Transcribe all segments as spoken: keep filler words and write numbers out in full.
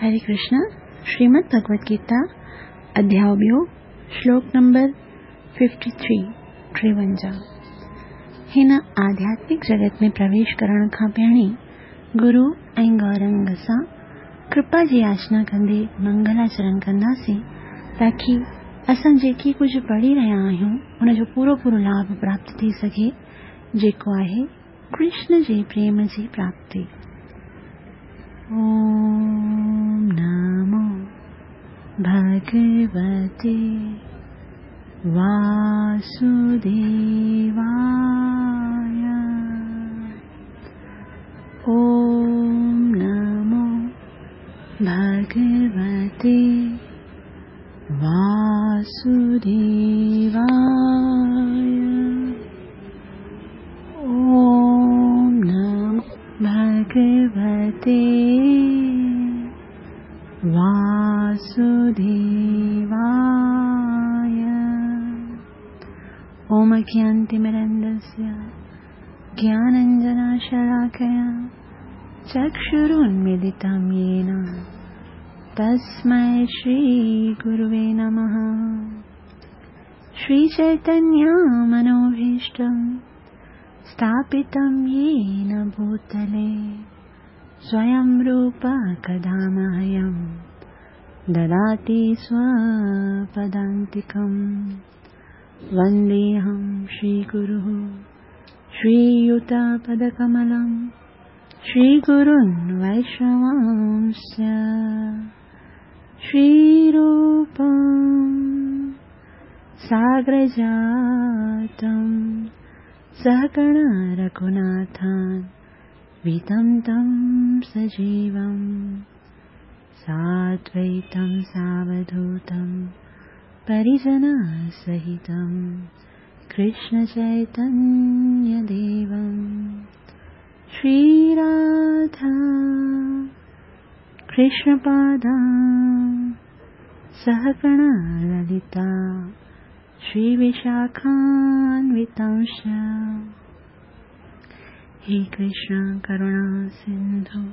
हरे कृष्ण। श्रीमद् भगवत गीता अध्याय ॿियो, श्लोक नंबर तिरेपन, टेवंजाह। हिन आध्यात्मिक जगत में प्रवेश करण खां पहिरीं गुरु ऐं गौरंग सां कृपा जी याचना कंदे मंगलाचरण कंदासीं, ताकी असां जेकी कुझु पढ़ी रहिया आहियूं उनजो पूरो पूरो लाभ प्राप्त थी सघे, जेको आहे कृष्ण जे प्रेम जी प्राप्ति। ॐ नमो भगवते वासुदेवाय। ॐ नमो भगवते वासुदेवाय। ॐ नमो भगवते वासुदेवाय। ॐ अज्ञानतिमिरन्धस्य ज्ञानाञ्जनशलाकया चक्षुरुन्मीलितं येन तस्मै श्रीगुरुवे नमः। श्रीचैतन्यमनोभीष्टं स्थापितं येन भूतले स्वयं रूप कदा मह्यं ददाति स्वपदान्तिकं। वन्देऽहं श्रीगुरुः श्रीयुतपदकमलं श्रीगुरुन् वैष्णवांश्च श्रीरूपं साग्रजातं सहगण रघुनाथान् वितं तं सजीवं साद्वैतं सावधूतं परिजनसहितं कृष्णचैतन्यदेवं। श्रीराधा कृष्णपादां सहगण ललिता श्रीविशाखान्वितांश्च। हे कृष्ण करुणा सिन्धु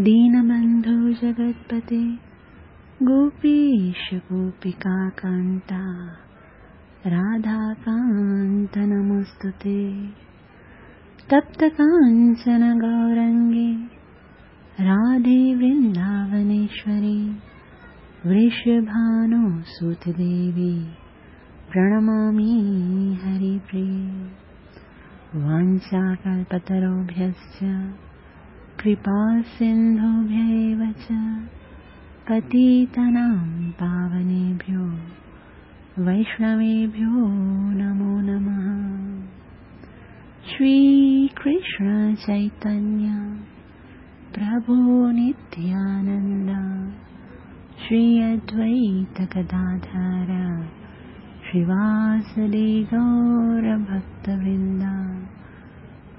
दीनबन्धु जगत्पते गोपीश गोपिकान्ता राधाकान्त नमोऽस्तुते। तप्त काञ्चन गौरङ्गे राधे वृन्दावनेश्वरी वृषभानुसुते देवी प्रणमामि हरिप्रिये। वाञ्छाकल्पतरुभ्यश्च कृपासिन्धुभ्य एव च पतितानां पावनेभ्यो वैष्णवेभ्यो नमो नमः। श्रीकृष्ण चैतन्य प्रभु नित्यानन्द श्री अद्वैत गदाधर श्रीवासदि गौरभक्तवृन्द।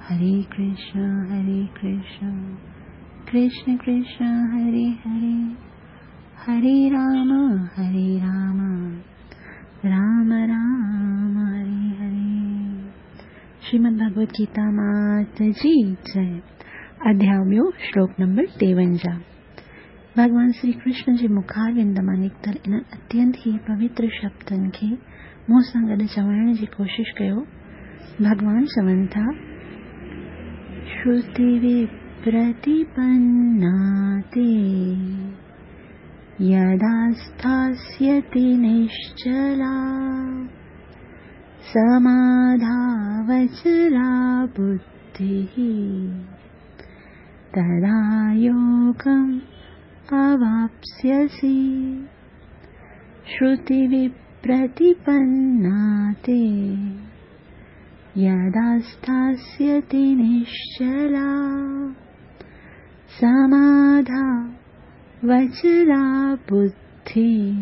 हरे कृष्ण हरे कृष्ण कृष्ण कृष्ण हरे हरे, हरे राम हरे राम राम राम हरे हरे। श्रीमद् भगवत गीता मात जी जय। अध्याय ॿियो, श्लोक नंबर टेवंजाह। भॻवान श्री कृष्ण जे मुखारविंद मां निकितल इन्हनि अत्यंत ई पवित्र शब्दनि खे मूं सां गॾु चवण जी कोशिश कयो। भॻवान चवनि था, श्रुतिविप्रतिपन्ना ते यदा स्थास्यति निश्चला समाधावचला बुद्धिः तदा योगम् अवाप्स्यसि। श्रुतिविप्रतिपन्ना ते यदा स्थास्यति निश्चला समाधावचला बुद्धिः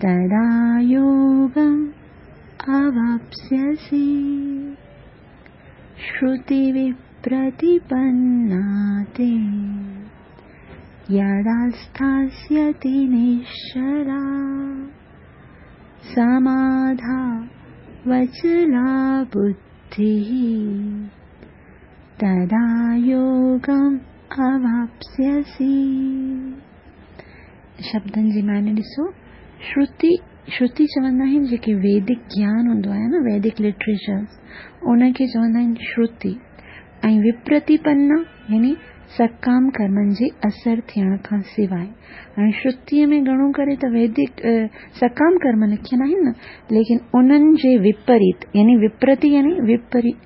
तदा योगम् अवाप्स्यसि। श्रुतिविप्रतिपन्ना ते यदा स्थास्यति निश्चला समाधावचला बुद्धिः तदा योगम् अवाप्स्यसि। शब्दनि जी माने ॾिसो, श्रुति श्रुति चवंदा आहिनि जेके वैदिक ज्ञान हूंदो आहे न, वैदिक लिटरेचर्स, उनखे चवंदा आहिनि श्रुति। ऐं विप्रतिपन्ना यानी सकाम कर्मनि जे असर थियण खां सवाइ। हाणे श्रुतीअ में घणो करे त वैदिक सकाम कर्म लिखियल आहिनि न, लेकिन उन्हनि जे विपरीत यानी विप्रति यानी विपरीत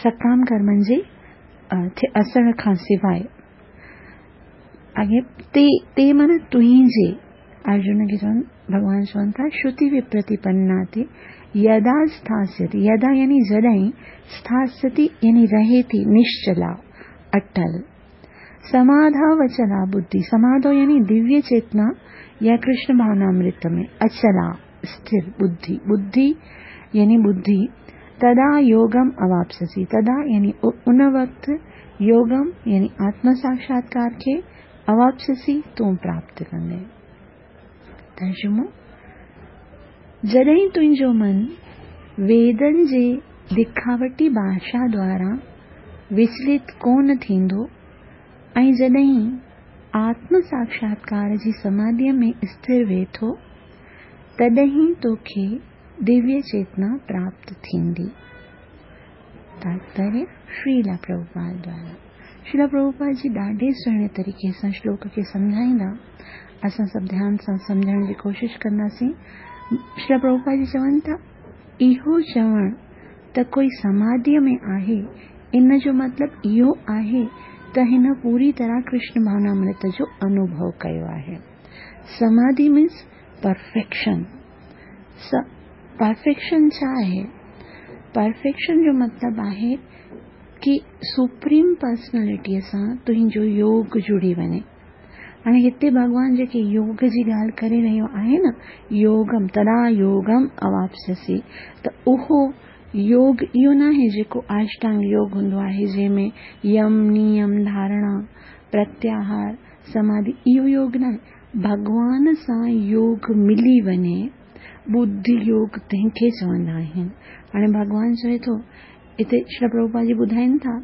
सकाम कर्मनि जे असर खां सवाइ। अॻे ते ते माना तुंहिंजे, अर्जुन खे चवनि भॻवान चवनि था श्रुति विप्रतिपन्ना ते यदा स्थास्यति, यदा यानी जॾहिं, स्थास्यति यानी रहे थी, निश्चला अटल, समाधावचला बुद्धि, समाधो यानी दिव्य चेतना या कृष्ण भावनामृत में अचला स्थिर बुद्धि, बुद्धि यानी बुद्धि, तदा योगम अवाप्स्यसि, तदा यानी उन वक़्तु योगम यानी आत्म साक्षात्कार खे अवाप्स्यसि तूं प्राप्त कंदे। तर्जुमो, जॾहिं तुंहिंजो मन वेदनि जे दिखावटी भाषा द्वारा विचलित कोन थींदो ऐं जॾहिं आत्म साक्षात्कार जी समाधीअ में स्थिर वेहे थो, तॾहिं तोखे दिव्य चेतना प्राप्त थींदी। तात्पर्य श्रीला प्रभुपाद द्वारा। श्रीला प्रभुपाद जी ॾाढे सुहिणे तरीक़े सां श्लोक खे सम्झाईंदा, असां सभु ध्यान सां सम्झण जी कोशिशि कंदासीं। श्रीला प्रभुपाद जी चवनि था, इहो चवणु त कोई समाधीअ में आहे, इन जो मतिलबु इहो आहे त हिन पूरी तरह कृष्ण भावनामृत जो अनुभव कयो आहे। समाधि मीन्स परफेक्शन। परफेक्शन छा आहे? परफेक्शन जो मतिलबु आहे की सुप्रीम पर्सनैलिटीअ सां तुंहिंजो योग जुड़ी वञे। हाणे हिते भॻवान जेके योग जी ॻाल्हि करे रहियो आहे न, योगम तदा योगम अवाप्स्यसि, त उहो योग इहो न आहे जेको अष्टांग योग हूंदो आहे, जंहिंमें यम नियम धारणा प्रत्याहार समाधि, इहो योग न आहे। भॻवान सां योग मिली वञे, बुद्धि योग तंहिंखे चवंदा आहिनि। हाणे भॻवान चवे थो, हिते श्री प्रभुपाद जी ॿुधाइनि था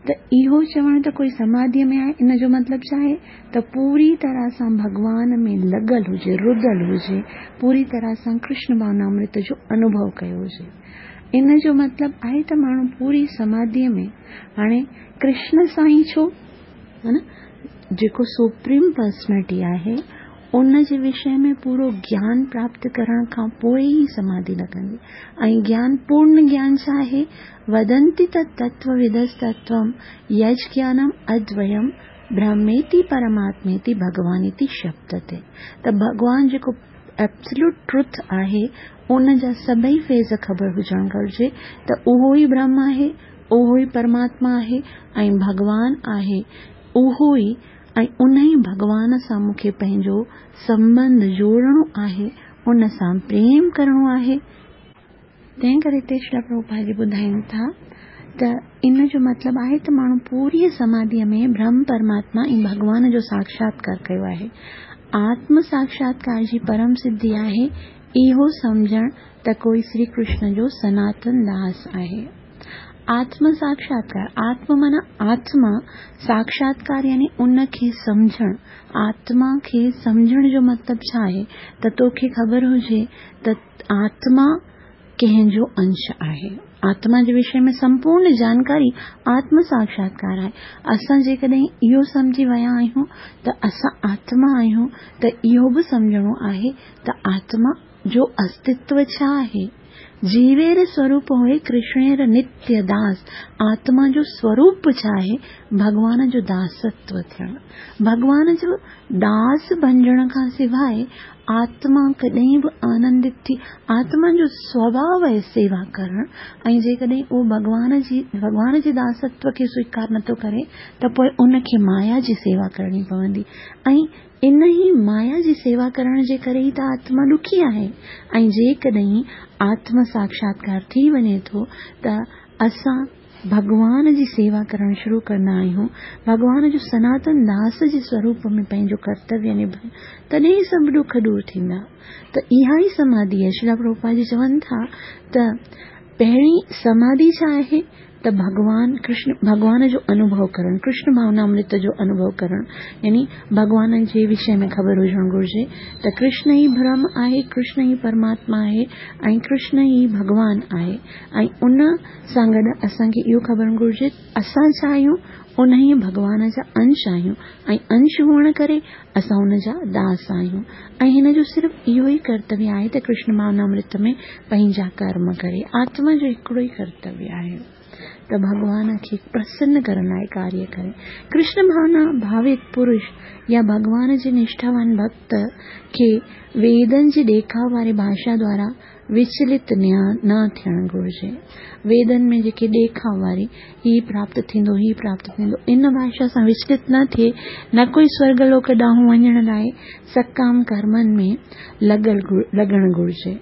त इहो चवणु त कोई समाधीअ में आहे, इन जो मतिलबु छा आहे त पूरी तरह सां भॻवान में लॻल हुजे, रुधल हुजे, पूरी तरह सां कृष्ण भावनामृत जो अनुभव कयो हुजे। इन जो मतिलबु आहे त माण्हू पूरी समाधीअ में, हाणे कृष्ण सां ई छो, हा न, जेको सुप्रीम पर्सनैलिटी आहे उन जे विषय में पूरो ज्ञान प्राप्त करण खां पोइ ई समाधि लॻंदी। ऐं ज्ञान, पूर्ण ज्ञान छा आहे? वदन्ति तत्तत्त्वविदस्तत्त्वं यज्ञानम् अद्वयं ब्रह्मेति परमात्मेति भगवानिति शब्दते। त भॻवान जेको एब्सोल्यूट ट्रुथ आहे उन जा सभई फेज़ ख़बर हुजणु घुरिजे त उहो ई ब्रह्म आहे, उहो ई परमात्मा आहे ऐं भॻवान आहे उहो ई, ऐं उन ई भॻवान सां मूंखे पंहिंजो संबंध जोड़िणो आहे, उन सां प्रेम करिणो आहे। तंहिं करे हिते श्रील प्रभुपाद जी ॿुधाइनि था त इन जो मतिलबु आहे त माण्हू पूरी समाधीअ में ब्रह्म परमात्मा ऐं भॻवान जो साक्षात्कार कयो आहे। आत्म साक्षात्कार जी परम सिद्धि आहे इहो सम्झणु त कोई श्री कृष्ण जो सनातन दास आहे। आत्म साक्षात्कार, आत्म माना आत्मा, साक्षात्कार यानी उनखे सम्झणु। आत्मा खे सम्झण जो मतिलबु छा आहे त तोखे ख़बर हुजे त आत्मा कंहिंजो अंश आहे। आत्मा जे विषय में संपूर्ण जानकारी आत्म साक्षात्कार आहे। असां जेकॾहिं इहो सम्झी विया आहियूं त असां आत्मा आहियूं, त इहो बि सम्झणो आहे त आत्मा जो अस्तित्व छा आहे। जीवेर स्वरूप होए कृष्णेर नित्य दास। आत्मा जो स्वरूप छा आहे? भॻवान जो दासत्व थियणु। भॻवान जो दास बणिजण खां सवाइ आत्मा कॾहिं बि आनंदित थी, आत्मा जो स्वभाव आहे सेवा करणु, ऐं जेकॾहिं उहो भॻवान जी भॻवान जे दासत्व खे स्वीकार नथो करे त पोइ उनखे माया जी सेवा करणी पवंदी, ऐं इन ई माया जी सेवा करण जे करे ई त आत्मा ॾुखी आहे। ऐं जेकॾहिं आत्म साक्षात्कार थी वञे थो त असां भॻवान जी सेवा करणु शुरू कंदा आहियूं, भॻवान जो सनातन दास जे स्वरूप में पंहिंजो कर्तव्य निभाए, तॾहिं सभु ॾुख दूर थींदा। त इहा ई समाधि आहे। श्रील प्रभुपाद जी चवनि था त पहिरीं समाधि छा आहे? ته ڀڳوان ڪرشن ڀڳوان جو انوڀو ڪرڻ، ڪرشن ڀاونامرت جو انوڀو ڪرڻ، يعني ڀڳوان جي وشي ۾ خبر هجڻ گهرجي ته ڪرشن ئي برهم آهي، ڪرشن ئي پرماتما آهي ۽ ڪرشن ئي ڀڳوان آهي. ۽ ان سان گڏ اسان کي اهو خبر گهرجي اسان ڇا آهيون؟ انهيء ڀڳوان جا انش آهيون ۽ انش هئڻ ڪري اسان ان جا داس آهيون. ۽ هن جو صرف اهو ئي ڪرتويه آهي ته ڪرشن ڀاونامرت ۾ پنهنجا ڪرم ڪري. آتما جو هڪڙو ئي ڪرتويه آهي ته ڀڳوان کي پرسن ڪرڻ لاءِ ڪاريه ڪري. ڪرشن ڀاونا ڀاوت پرش يا ڀڳوان جي نشٺاوان ڀڪت کي ويدن جي ڏيکاءُ واري ڀاشا دوارا وچلت نه ٿيڻ گهرجي. ويدن ۾ جيڪي ڏيکاءُ واري هي پراپت ٿيندو هي پراپت ٿيندو، ان ڀاشا سان وچلت نه ٿئي، نه ڪوئي سورڳ لوڪ ڏانهن وڃڻ لاءِ سڪام ڪرمن ۾ لڳل لڳڻ گهرجي.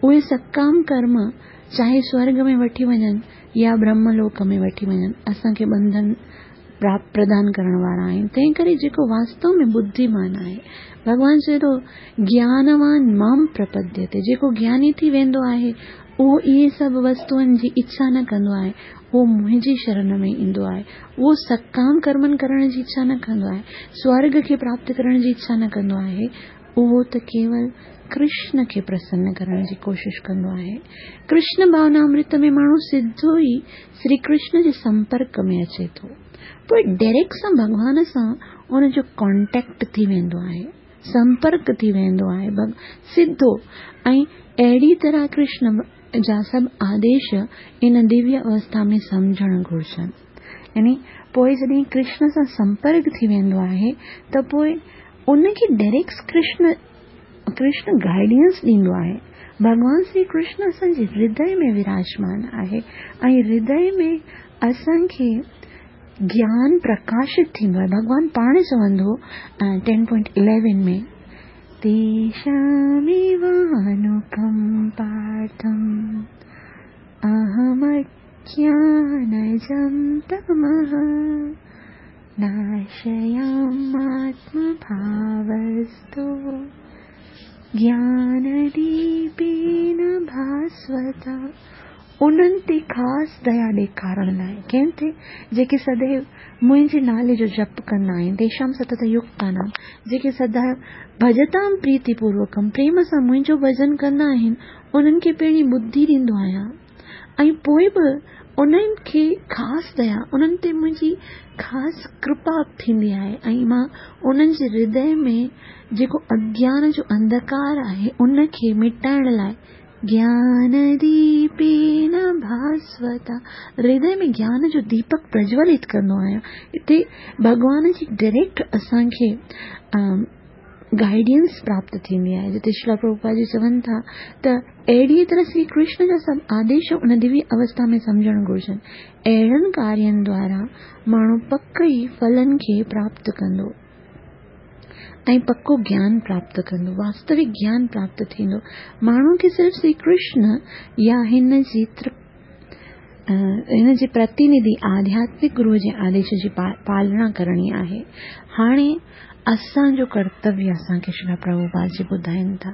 اهي سڪام ڪرم چاهي سورڳ ۾ وٺي وڃن يا برهم لوڪ ۾ وٺي وڃن، اسان کي ٻنڌن پردان ڪرڻ وارا آهن. تنهن ڪري جيڪو واستو ۾ ٻڌيمان آهي، ڀڳوان چئي ٿو گيانوان مام پرپديتي، جيڪو گياني ٿي ويندو آهي اهو اهي سڀ وستوئن جي اڇا نه ڪندو آهي، اهو منهنجي شرڻ ۾ ايندو آهي. اهو سڪام ڪرمن ڪرڻ جي اڇا نه ڪندو آهي، سورڳ کي پراپت ڪرڻ جي اڇا نه ڪندو آهي، اهو ته ڪيول ڪرشن کي پرسن ڪرڻ جي ڪوشش ڪندو آهي. ڪرشن ڀاونامرت ۾ ماڻهو سڌو ئي شري ڪرشن جي سمپرڪ ۾ اچي ٿو، پوءِ ڊائريڪٽ سان ڀڳوان سان ان جو ڪانٽيڪٽ ٿي ويندو آهي، سمپرڪ ٿي ويندو آهي سڌو. ۽ اهڙي طرح ڪرشن جا سڀ آديش ان دويه اوسٿا ۾ سمجهڻ گهرجن. يعني پوءِ جڏهن ڪرشن سان سمپرڪ ٿي ويندو آهي ته پوءِ ان کي ڊائريڪٽ ڪرشن ڪرشن گائيڊنس ڏيندو آهي. ڀڳوان شري ڪرشن اسان جي هردي ۾ وراجمان آهي ۽ هردي ۾ اسان کي گيان پرڪاشت ٿيندو آهي. ڀڳوان پاڻ چوندو ٽين پوائنٽ اليون ۾ تيشاميوانڪمپارٿم اهمجيانجم تمः ناشياماتمڀاوستو گيانديپين ڀاسوتا. انهن تي خاص ديا ڏيکارڻ لاءِ، ڪنهن تي؟ جيڪي سديو منهنجي نالي جو جپ ڪندا آهن، تيشام ستت يڪتانام، جيڪي سدا ڀجتام پريتي پوروڪم پريم سان منهنجو ڀڄن ڪندا آهن، انهن کي پهرين ٻڌي ڏيندو آهيان ۽ پوءِ به انهن کي خاص ديا، انهن تي منهنجي خاص ڪرپا ٿيندي آهي ۽ مان انهن جي هردي ۾ جيڪو اگيان جو انڌڪار آهي ان کي مٽائڻ لاءِ گيانديپين ڀاسوتا، هردي ۾ گيان جو ديپڪ پرجولت ڪندو آهيان. هتي ڀڳوان جي ڊائريڪٽ اسان کي گائيڊنس پراپت ٿيندي آهي. جتي شريلا پرڀوپاد جي چون ٿا ته اهڙيءَ طرح شري ڪرشن جا سڀ آديش ان دويه اوسٿا ۾ سمجهڻ گهرجن. اهڙن ڪارين دوارا ماڻهو پڪ ئي ڦلن کي پراپت ڪندو ۽ پڪو گيان پراپت ڪندو، واستوڪ گيان پراپت ٿيندو. ماڻهو کي صرف شري ڪرشن يا هن جي هن جي پرتنڌي آڌياتمڪ گروءَ جي آديش جي پالنا ڪرڻي آهي. هاڻي اسان جو ڪرتويه اسان کي شريلا پرڀوپاد جي ٻڌائين ٿا،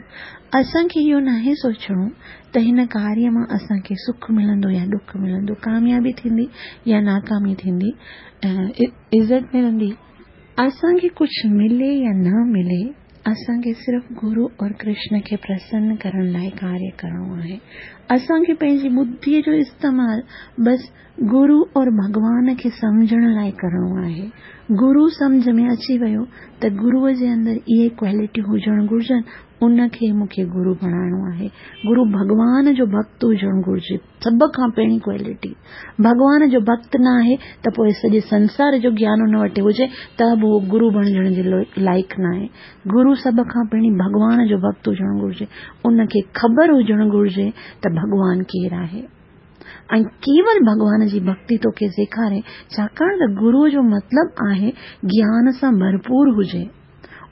اسان کي اهو ناهي سوچڻو ته هن ڪاريه مان اسان کي سک ملندو يا ڏک ملندو، ڪاميابي ٿيندي يا ناڪامي ٿيندي، عزت ملندي. اسان کي ڪجهه ملي يا نه ملي، اسان کي صرف گرو اور ڪرشن کي پرسن ڪرڻ لاءِ ڪاريه ڪرڻو آهي. اسان کي پنهنجي ٻڌيءَ جو استعمال بس گرو اور ڀڳوان کي سمجهڻ لاءِ ڪرڻو آهي. گرو سمجهه ۾ اچي ويو ته گروءَ جي اندر اهي ڪوالٽيون هجڻ گهرجن، ان کي مون کي گرو بڻائڻو آهي. گرو ڀڳوان جو ڀڪت هجڻ گهرجي، سڀ کان پهرين ڪوالٽي. ڀڳوان جو ڀڪت نه آهي ته پوءِ سڄي سنسار جو گيان ان وٽ هجي ته به اهو گرو بڻجڻ جي لائق نه آهي. گرو سڀ کان پهرين ڀڳوان جو ڀڪت هجڻ گهرجي، ان کي خبر هجڻ گهرجي ته ڀڳوان ڪير آهي ۽ ڪيول ڀڳوان جي ڀڪتي توکي سيکاري. ڇاڪاڻ ته گروءَ جو مطلب آهي گيان سان ڀرپور هجي،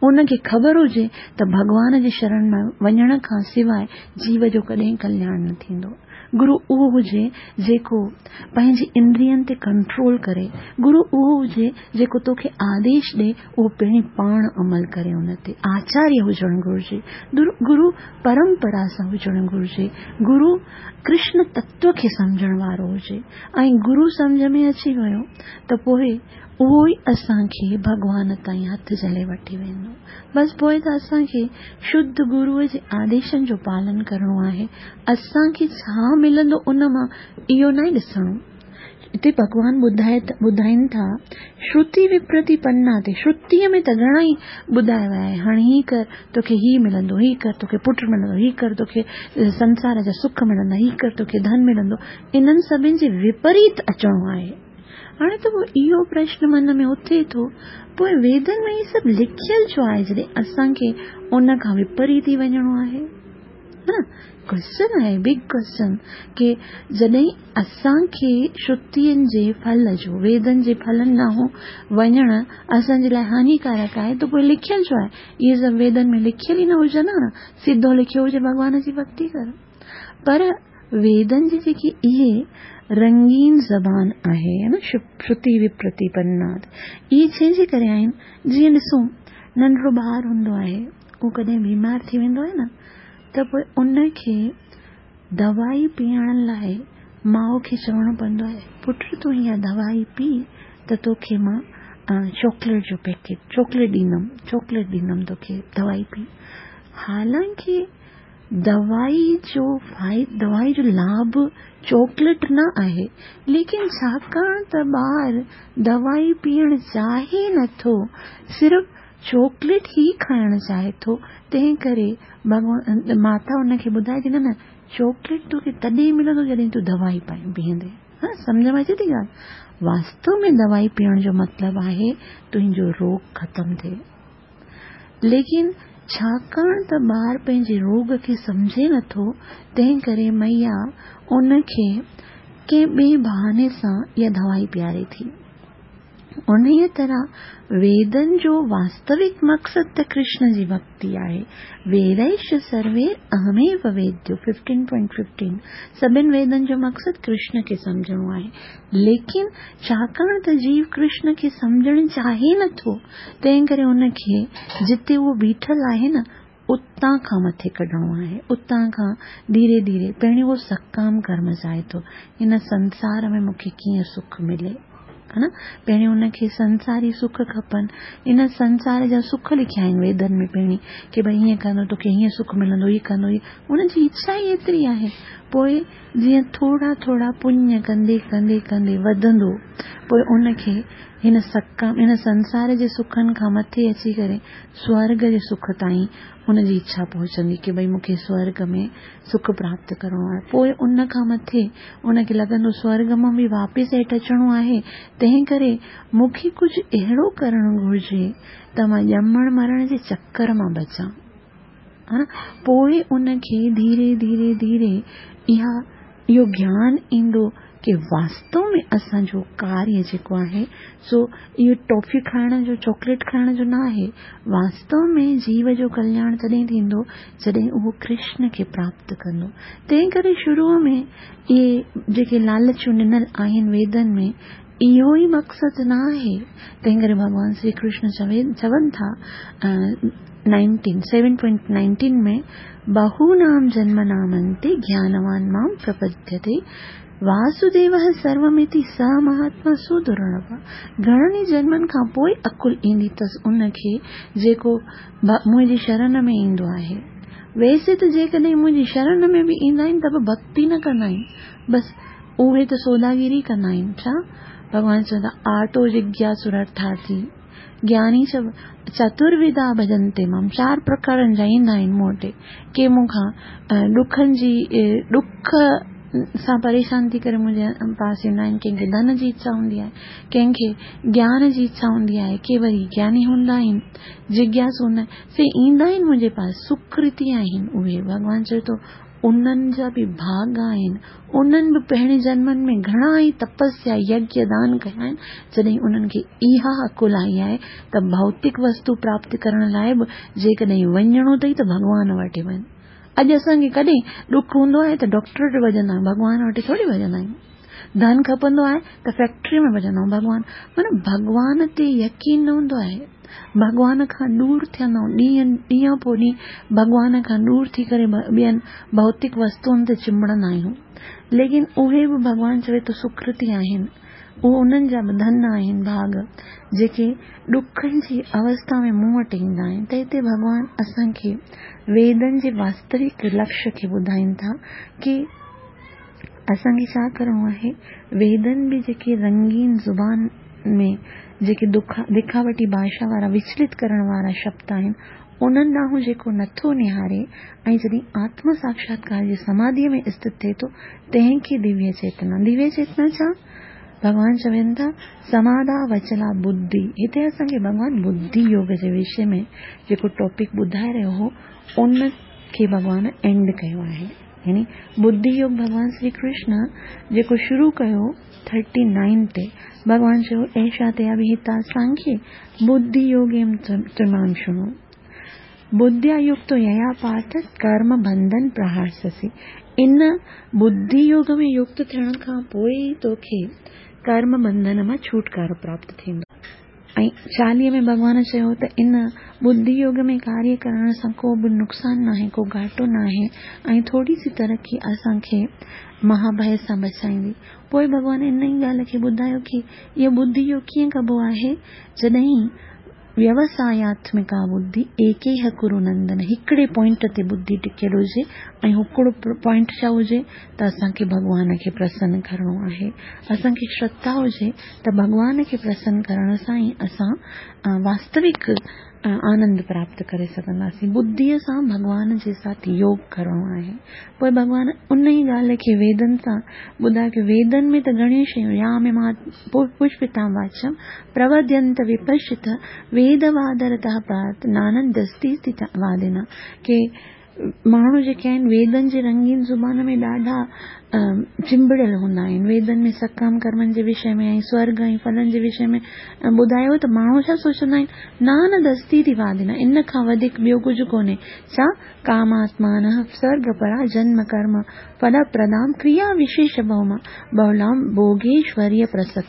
ان کي خبر هجي ته ڀڳوان جي شرڻ ۾ وڃڻ کان سواءِ جيو جو ڪڏهن ڪلياڻ نه ٿيندو. گرو اهو هجي جيڪو پنهنجي اندرين تي ڪنٽرول ڪري. گرو اهو هجي جيڪو توکي آديش ڏي، اهو پهرين پاڻ عمل ڪري ان تي. آچاريه هجڻ گهرجي. گرو پرمپرا سان هجڻ گهرجي. گرو ڪرشن تتو کي سمجهڻ وارو هجي. ۽ گرو سمجهه ۾ اچي ويو ته پوءِ اهو ئي اسان کي ڀڳوان تائين هٿ جهلي وٺي ويندو. بس پوءِ ته اسان کي شڌ گروءَ جي آديشن جو پالن ڪرڻو آهي. اسان کي ڇا ملندو ان مان اهو نه ڏسڻو. هتي ڀڳوان ٻڌائي ٻڌائين ٿا شروتي وپرتيپنا تي. شروتيءَ ۾ ته گهڻا ئي ٻڌايو آهي، هاڻي هي ڪر توکي هي ملندو، هي ڪر توکي پٽ ملندو، هي ڪر توکي سنسار جا سک ملندا، هي ڪر توکي ڌن ملندو. انهن سڀني جي وپريت اچڻو آهي. هاڻي ته پوءِ اهو پرشن من ۾ اٿي ٿو، پوءِ ويدن ۾ هي سڀ لکيل ڇو آهي جڏهن اسان کي ان کان وپريت ئي وڃڻو آهي؟ نه ڪوئسچن آهي، بگ ڪوئسچن ڪه جڏهن اسان کي شروتين جي ڦل جو، ويدن جي ڦلن ڏانهن وڃڻ اسان جي لاءِ هانيڪارڪ آهي ته پوءِ لکيل ڇو آهي؟ اهي سڀ ويدن ۾ لکيل ئي نه هجن ها نه، سڌو لکيو هجي ڀڳوان جي ڀڪتي ڪر. پر ويدن جي جيڪي اهي رنگين زبان آهي نه، شروتي وپرتيپنا، اهي ڇنهن جي ڪري آهن؟ جيئن ڏسون ننڍڙو ٻار هوندو آهي، اهو ڪڏهن بيمار ٿي ويندو آهي نه، ته پوءِ ان کي دوائي پيئڻ لاءِ ماءُ کي چوڻو پوندو آهي، پٽ تون اها دوائي پي ته توکي مان چاڪليٽ جو پيڪيٽ، چاڪليٽ ڏيندم، چاڪليٽ ڏيندم توکي، دوائي پي. حالانڪه دوائي جو فائدو، دوائي جو لاڀ چاڪليٽ نه آهي، ليڪن ڇاڪاڻ ته ٻار دوائي پيئڻ چاهي نٿو، صرف چاڪليٽ ئي کائڻ چاهي ٿو، تنهن ڪري ڀڳوان ماتا ان کي ٻڌائي ٿي نه نه چاڪليٽ توکي تڏهن ملندو جڏهن تون دوائي پيئندي. ها، سمجهه ۾ اچي ٿي ڳالهه؟ واستو ۾ دوائي پيئڻ جو مطلب آهي تنهنجو روڳ ختم ٿئي، ليڪن ڇاڪاڻ ته ٻار پنهنجي روڳ کي سمجهي نٿو، تنهن ڪري مئيا ان کي ڪنهن ٻئي بهاني سان اها دوائي پياري ٿي. انهيءَ طرح ويدن جو واستوڪ مقصد ته ڪرشن جي ڀڪتي آهي. ويديش سروي اهميو ويديو، ففٽين پوائنٽ ففٽين. سڀني ويدن جو مقصد ڪرشن کي سمجهڻو آهي، ليڪن ڇاڪاڻ ته جيو ڪرشن کي سمجهڻ چاهي نٿو، تنهن ڪري ان کي جتي اهو بيٺل آهي نه اتان کان مٿي ڪڍڻو آهي. اتان کان ڌيري ڌيري پهريون اهو سڪام ڪرم چاهي ٿو، هن سنسار ۾ مون کي ڪيئن سک ملي، ها نه؟ پهريون ان کي سنساري سک کپن. ان سنسار جا سک لکيا آهن ويدن ۾ پهرين ڪه ڀئي هيئن ڪندو توکي هيئن سک ملندو، هيءَ ڪندو، هيءَ، ان جي اڇا ئي ايتري آهي. پوءِ جيئن ٿورا ٿورا پڃ ڪندي ڪندي ڪندي وڌندو، پوءِ ان کي هن سڪام، هن سنسار جي سکن کان مٿي اچي ڪري سورڳ جي سک تائين هن جي اڇا پهچندي ڪه ڀئي مون کي سورڳ ۾ سک پراپت ڪرڻو آهي. پوءِ ان کان مٿي ان کي لڳندو سورڳ مان به واپس هيٺ اچڻو آهي، تنهن ڪري مون کي ڪجهه اهڙو ڪرڻ گهرجي ته مان ڄمڻ مرڻ جي چڪر مان بچان، ها نه؟ پوءِ ان کي ڌيري ڌيري ڌيري اها اهو گيان ايندو ڪه واستو ۾ اسان جو ڪاريه جيڪو آهي سو اهو ٽافي کائڻ جو، چاڪليٽ کائڻ جو نه آهي. واستو ۾ جيو جو ڪلياڻ تڏهن ٿيندو جڏهن اهو ڪرشن کي پراپت ڪندو. تنهن ڪري شروع ۾ اهي جيڪي لالچون ڏنل آهن ويدن ۾ اهو ئي مقصد نه آهي. تنهن ڪري ڀڳوان شري ڪرشن چوي چون ٿا نائنٽين سيون پوائنٽ نائنٽين ۾ بهونام جنم نامنتي گيانوان مام پرپद्यते واسديوः سرومتي س مهاتما سدرلڀ. گهڻن ئي جنمن کان پوءِ عقل ايندي اٿس ان کي جيڪو منهنجي شرڻ ۾ ايندو آهي. ويسي ته جيڪڏهن منهنجي شرڻ ۾ به ايندا آهن ته به ڀڪتي نه ڪندا آهن، بس اهي ته سوداگيري ڪندا آهن. ڇا ڀڳوان چوندا آرتو جگياسرارٿارٿي گياني چ چتروڌا ڀجنتي مام، چار پرڪارن جا ايندا آهن مون وٽ. ڪي مون کان ڏکن جي ڏک سان پريشان ٿي ڪري منهنجي پاس ايندا آهن، ڪنهن کي ڌن جي اڇا هوندي آهي، ڪنهن کي گيان جي اڇا هوندي آهي، ڪي وري گياني هوندا آهن، جگياسو هوندا آهن، سي ايندا آهن منهنجي پاس، سڪرتي آهن اهي. ڀڳوان چئي ٿو انهن جا به ڀاڳ آهن، انهن به پهرين جنمن ۾ گهڻا ئي تپسيا يگيه دان ڪيا آهن، جڏهن انهن کي اها عقل آئي آهي ته ڀوتڪ وستو پراپت ڪرڻ لاءِ به جيڪڏهن وڃڻو اٿئي ته ڀڳوان وٽ وڃ. اڄ اسان کي ڪڏهن ڏک هوندو آهي ته ڊاڪٽر وٽ ڀڄندا آهيون، ڀڳوان وٽ ٿوري ڀڄندا آهيون. ڌن کپندو آهي ته فيڪٽري ۾ ڀڄندا آهيون. ڀڳوان معنيٰ ڀڳوان تي يقين نه هوندو آهي، ڀڳوان کان ڏور ٿيندا آهيون. ڏينهن ڏينهن پوءِ ڏينهن ڀڳوان کان ڏور ٿي ڪري ٻين ڀوتڪ وستوئن تي چنبڙندا آهيون. ليڪن اهي به ڀڳوان چوي ٿو سڪرتي آهن، اهي انهن جا به ڌن آهن ڀاڳ جيڪي ڏکن جي اوسٿا ۾ مون وٽ ايندا آهن. ته هتي ڀڳوان اسان کي ويدن جي واستوڪ لڪشيه کي ٻڌائين ٿا ڪه اسان کي ڇا ڪرڻو آهي. ويدن به جيڪي رنگين زبان ۾ جيڪي دکاوٽي ڀاشا وارا وچلت ڪرڻ وارا شبد آهن انهن ڏانهن جيڪو نٿو نهاري ۽ جڏهن آتم ساڪشاتڪار جي سماڌيءَ ۾ اسٿت ٿئي ٿو تنهن کي دويه چيتنا. دويه چيتنا ڇا؟ ڀڳوان چون ٿا سماڌا وچلا ٻڌي. هتي اسان کي ڀڳوان ٻڌي يوگ جي وشي ۾ جيڪو ٽاپڪ ٻڌائي رهيو هو ان کي ڀڳوان اينڊ ڪيو آهي. يعني ٻڌي يوگ ڀڳوان شري ڪرشن جيڪو شروع ڪيو ٿرٽي نائن تي ڀڳوان چيو ايشا تي اڀهتا سانکي ٻڌي يوگيم تمام شڻو ٻڌيا يڪت ييا پارٿ ڪرم بنڌن پرهارسسي. ان ٻڌي يوگ ۾ يڪت ٿيڻ کان پوءِ ئي توکي ڪرم بنڌن مان ڇوٽڪارو پراپت ٿيندو. ۽ چاليهه ۾ ڀڳوان چيو ته ان ٻڌي يوگ ۾ ڪاريه ڪرڻ سان ڪو به نقصان ناهي، ڪو گهاٽو ناهي ۽ ٿوري سي ترقي اسان کي مهاڀي سان بچائيندي. پوءِ ڀڳوان ان ئي ڳالهه کي ٻڌايو ڪه اهو ٻڌي يوگ ڪيئن ڪبو آهي؟ جڏهن ويوساياتمڪا ٻڌي ايڪيهه ڪرو نندن، هڪڙي پوائنٽ تي ٻڌي ٽڪيل هجي ۽ هڪڙو پوائنٽ ڇا هجي ته اسان کي ڀڳوان کي پرسن ڪرڻو آهي. اسان کي شرڌا هجي ته ڀڳوان کي پرسن ڪرڻ سان ئي اسان واستوڪ آنند پراپت ڪري سگهنداسين. ٻڌيءَ سان ڀڳوان جي ساٿ يوگ ڪرڻو آهي. پوءِ ڀڳوان ان ئي ڳالهه کي ويدن سان ٻڌايو ڪه ويدن ۾ ته گهڻيون شيون يا ۾ مان پشپتا واچم پروڌينت وپشت ويدوادرت پرات نانندستي وادنا. ڪه ماڻهو جيڪي آهن ويدن جي رنگين زبان ۾ ڏاڍا چنبڙيل هوندا آهن. ويدن ۾ سڪام ڪرمن جي وشي ۾ ۽ سورگ ۽ ڦلن جي وشي ۾ ٻڌايو ته ماڻهو ڇا سوچندا آهن؟ نانندستي ٿي وادنا، ان کان وڌيڪ ٻيو ڪجهه ڪونهي. ڇا؟ ڪاماتمان سرگ پرا جنم ڪرم ڦل پردام ڪريا وشيش بهما بهلام ڀوگيشوريه پرسڪت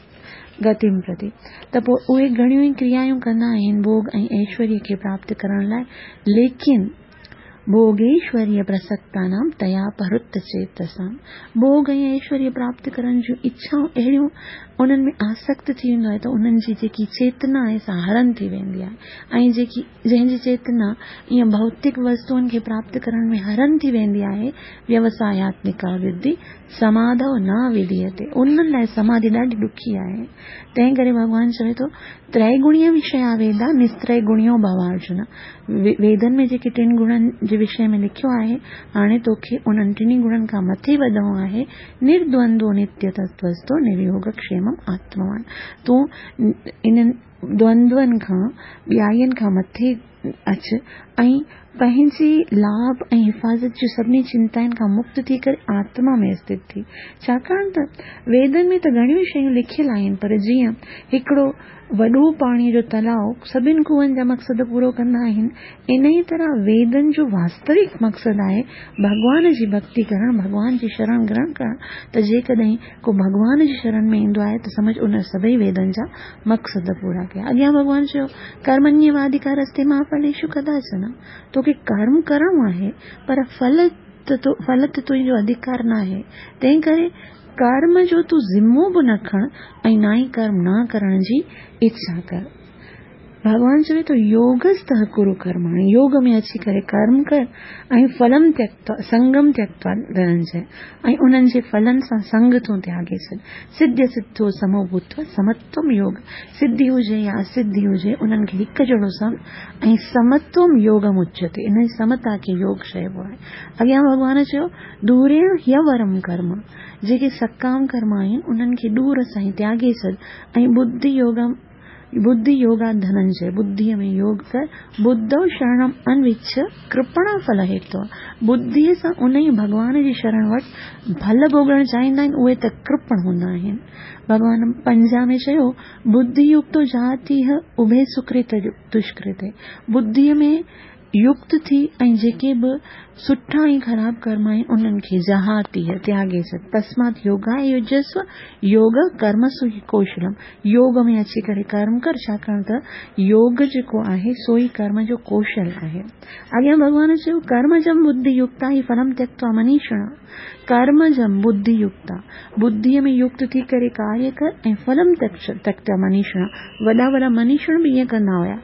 گتم پرتي. ته پوءِ اهي گهڻيون ئي ڪريائون ڪندا آهن ڀوڳ ۽ ايشوريه کي پراپت ڪرڻ لاءِ، ليڪن ڀوگيشوريه پرسڪتانام تيا پرت چيتسام. ڀوڳ ۽ ايشوريه پراپت ڪرڻ جون اڇائون اهڙيون انهن ۾ آسڪت ٿي ويندو آهي ته انهن جي جيڪي چيتنا آهي سا هرن ٿي ويندي آهي. ۽ جيڪي جنهن جي چيتنا ائين ڀوتڪ وستوئن کي پراپت ڪرڻ ۾ هرن ٿي ويندي آهي، ويوساياتمڪا ودي سماڌو نه وڌيئتي، انهن لاءِ سماڌي ڏاڍي ڏکي آهي. تنهن ڪري ڀڳوان چوي ٿو تريگڻيه وشيا ويدا نستريگڻيو ڀو ارجن. ويدن ۾ جيڪي ٽن گڻن جي وشي ۾ لکيو آهي، هاڻي توکي انهن ٽنهي گڻن کان مٿي وڌڻو آهي. نردوندو نتيه تتوستو نريوگ ڪشيمم آتموان. تون انهن دوندون کان ٻيائين کان مٿي اچ ۽ پنهنجي لاڀ ۽ حفاظت جي سڀني چنتائن کان مڪت ٿي ڪري آتما ۾ اسٿت ٿي. ڇاڪاڻ ته ويدن ۾ ته گهڻيون شيون لکيل آهن، پر جيئن هڪڙو وڏو پاڻيءَ جو تلاءُ سڀني کوهن جا مقصد پورو ڪندا آهن، ان ئي طرح ويدن جو واستوڪ مقصد آهي ڀڳوان جي ڀڪتي ڪرڻ، ڀڳوان جي شرڻ گرهڻ ڪرڻ. ته جيڪڏهن ڪو ڀڳوان جي شرڻ ۾ ايندو آهي ته سمجهه ان سڀئي ويدن جا مقصد پورا ڪيا. اڳيان ڀڳوان چيو ڪرمنيوادڪارستي مان ڦليشو ڪداچن. توکي ڪرم ڪرڻو آهي پر ڦل ڦل تي تنهنجو اڌڪار نه آهي، تنهن ڪري ڪرم جو تون ذمو به نه کڻ ۽ نه ئي ڪرم نه ڪرڻ جي اڇا ڪر. ڀڳوان چوي ٿو يوگست ڪرو ڪرماڻي، يوگ ۾ اچي ڪري ڪرم ڪر ۽ ڦلم تيڪتوا سنگم تيڪتوا ڌننجي، ۽ انهن جي ڦلن سان سنگ تون تياڳي ڇڏ. سڌ سڌو سمو ڀوتوا سمتوم يوگ، سڌي هجي يا اسڌي هجي انهن کي هڪ جهڙو سمجهه ۽ سمتوم يوگم اچيتي، ان جي سمتا کي يوگ چئبو آهي. اڳيان ڀڳوان چيو دوريڻ هيورم ڪرم، جيڪي سڪام ڪرم آهن انهن کي ڏور سان ئي تياڳي ڇڏ ۽ ٻڌي يوگم ٻڌي يوگا ڌننجي، ٻڌيءَ ۾ يوگ ڪر. ٻڌو شرڻم انوڇ ڪرپڻ ڦل هيتو، ٻڌيءَ سان ان ئي ڀڳوان جي شرڻ وٽ ڦل ڀوڳڻ چاهيندا آهن، اهي ته ڪرپڻ هوندا آهن. ڀڳوان پنجاهه ۾ چيو ٻڌي يڪتو جاتيهه اڀي سڪرت دشڪرت، ٻڌيءَ ۾ يڪت ٿي ۽ جيڪي به سٺا ۽ خراب ڪرم آهن انهن کي جهاتي تياڳي ڇڏ. تسمات يوگاء يجسو يوگ ڪرمسو ڪوشلم، يوگ ۾ اچي ڪري ڪرم ڪر، ڇاڪاڻ ته يوگ جيڪو آهي سو ئي ڪرم جو ڪوشل آهي. اڳيان ڀڳوان چيو ڪرمجم ٻڌي يڪتا هي ڦلم تيڪتوا منيشڻا، ڪرمجم ٻڌي يڪتا، ٻڌيء ۾ يڪت ٿي ڪري ڪاريه ڪر ۽ ڦلم تيڪتوا منيشڻا، وڏا وڏا منيشڻ به ائين ڪندا هيا،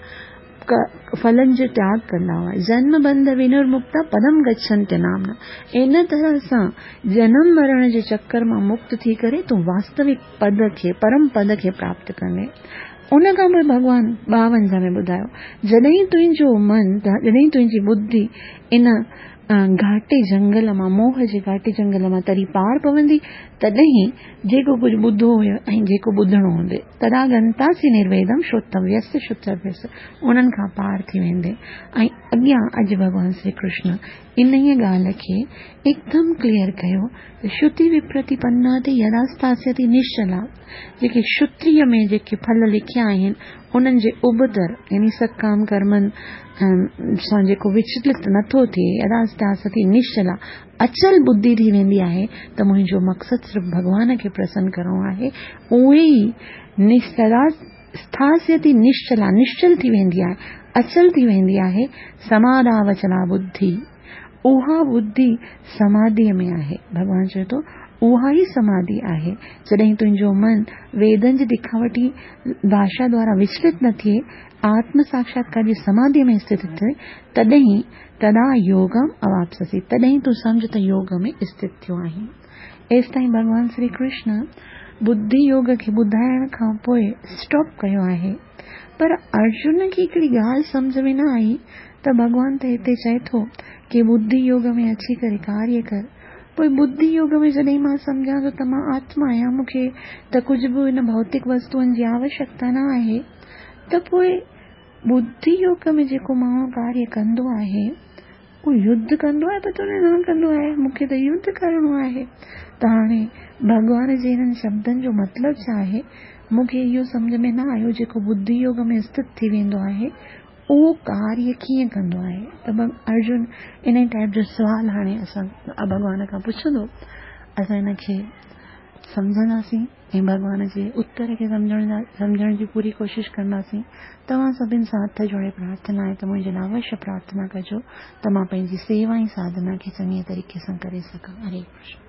ڦلن جو تياڳ ڪندا هئا. جنم بنڌ ونرمڪتا پدم گڇنتي نامنا، ان طرح سان جنم مرڻ جي چڪر مان مڪت ٿي ڪري تون واستوڪ پد کي، پرم پد کي پراپت ڪندين. ان کان پوءِ ڀڳوان ٻاونجاهه ۾ ٻڌايو، جڏهن تنهنجو من، جڏهن تنهنجي ٻڌي ان گهاٽي جنگل مان، موهه جي گهاٽي جنگل مان تري پار پوندي، تڏهن جيڪو ڪجهه ٻڌو هيو ۽ جيڪو ٻڌڻو هوندي، تدا گنتاسي نرويدم شروتويس شروتويس، انهن کان پار ٿي ويندي. ۽ اڳيان اڄ ڀڳوان شري ڪرشن انهيء ڳالهه کي هڪدم ڪليئر ڪيو ته شروتي وپرتيپنا تي يداستاسيتي نشچلا، جيڪي شروتيء ۾ جيڪي ڦل لکيا آهن انهن جي ابتر يعني سڪام ڪرمن سان جيڪو وچلت نٿو ٿئي، يداستاسيتي نشچلا، اچل ٻڌي ٿي ويندي آهي ته منهنجو مقصد صرف ڀڳوان کي پرسن ڪرڻو آهي، اهي ئي اسٿاسيتي نشچلا، نشچل ٿي ويندي آهي، اچل ٿي ويندي آهي. سماڌاوچلا ٻڌي، اها ٻڌي سماڌيء ۾ آهي. ڀڳوان چئي ٿو اها ئي سماڌي آهي جڏهن تنهنجو من ويدن جي دکاوٽي ڀاشا دوارا وچلت نه ٿئي، آتم ساکشاتڪار جي سماڌيء ۾ اسٿت ٿئي، تڏهن تدا يوگم اواپسسي، تڏهن تون سمجهه ته يوگ ۾ اسٿت ٿيو آهين. ايستائين ڀڳوان شري ڪرشن ٻڌي يوگ کي ٻڌائڻ کان پوءِ اسٽاپ ڪيو آهي. پر ارجن کي هڪڙي ڳالهه سمجهه ۾ نه آئي ته ڀڳوان ته هتي چئي ٿو ڪه ٻڌي يوگ ۾ اچي ڪري ڪاريه ڪر، پوءِ ٻڌي يوگ ۾ جڏهن مان سمجهان ٿو ته مان آتما آهيان، مون کي ته ڪجهه به هن ڀوتڪ وستوئن جي آوشيڪتا نه آهي، ته پوءِ ٻڌي يوگ ۾ جيڪو ماڻهو ڪاريه ڪندو آهي اهو يڌ ڪندو آهي؟ پر نه ڪندو آهي، مون کي ته يڌ ڪرڻو آهي. ته هاڻي ڀڳوان جي هنن شبدن جو مطلب ڇا آهي مون کي اهو سمجهه ۾ نه آيو. جيڪو ٻڌي يوگ ۾ اسٿت ٿي ويندو آهي اهو ڪاريه ڪيئن ڪندو آهي؟ ته ارجن ان ٽائيپ جو سوال هاڻي اسان ڀڳوان کان پڇندو، اسان هن کي سمجهنداسين ۽ ڀڳوان جي اتر کي سمجهڻ سمجهڻ جي پوري ڪوشش ڪنداسين. توهان سڀني سان هٿ جوڙي پرارٿنا آهي ته منهنجي لاءِ اوشيه پرارٿنا ڪجو ته مان پنهنجي سيوا ۽ ساڌنا کي چڱي طريقي سان ڪري سگهان. هري ڪرشن.